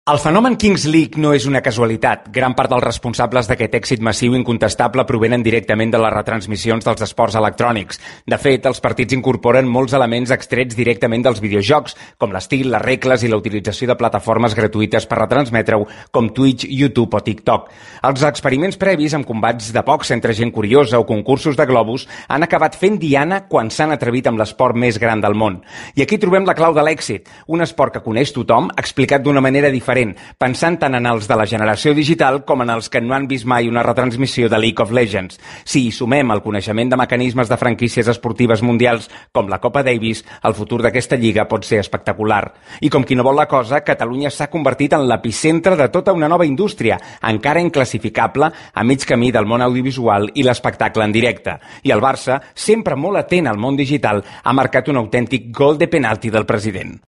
El fenomen Kings League no és una casualitat. Gran part dels responsables d'aquest èxit massiu incontestable provenen directament de les retransmissions dels esports electrònics. De fet, els partits incorporen molts elements extrets directament dels videojocs, com l'estil, les regles i la utilització de plataformes gratuïtes per retransmetre-ho, com Twitch, YouTube o TikTok. Els experiments previs amb combats de boxa entre gent curiosa o concursos de globus han acabat fent diana quan s'han atrevit amb l'esport més gran del món. I aquí trobem la clau de l'èxit, un esport que coneix tothom, explicat d'una manera diferent, pensant tant en els de la generació digital com en els que no han vist mai una retransmissió de League of Legends. Si hi sumem el coneixement de mecanismes de franquícies esportives mundials com la Copa Davis, el futur d'aquesta lliga pot ser espectacular. I com qui no vol la cosa, Catalunya s'ha convertit en l'epicentre de tota una nova indústria, encara inclassificable, a mig camí del món audiovisual i l'espectacle en directe. I el Barça, sempre molt atent al món digital, ha marcat un autèntic gol de penalti del president.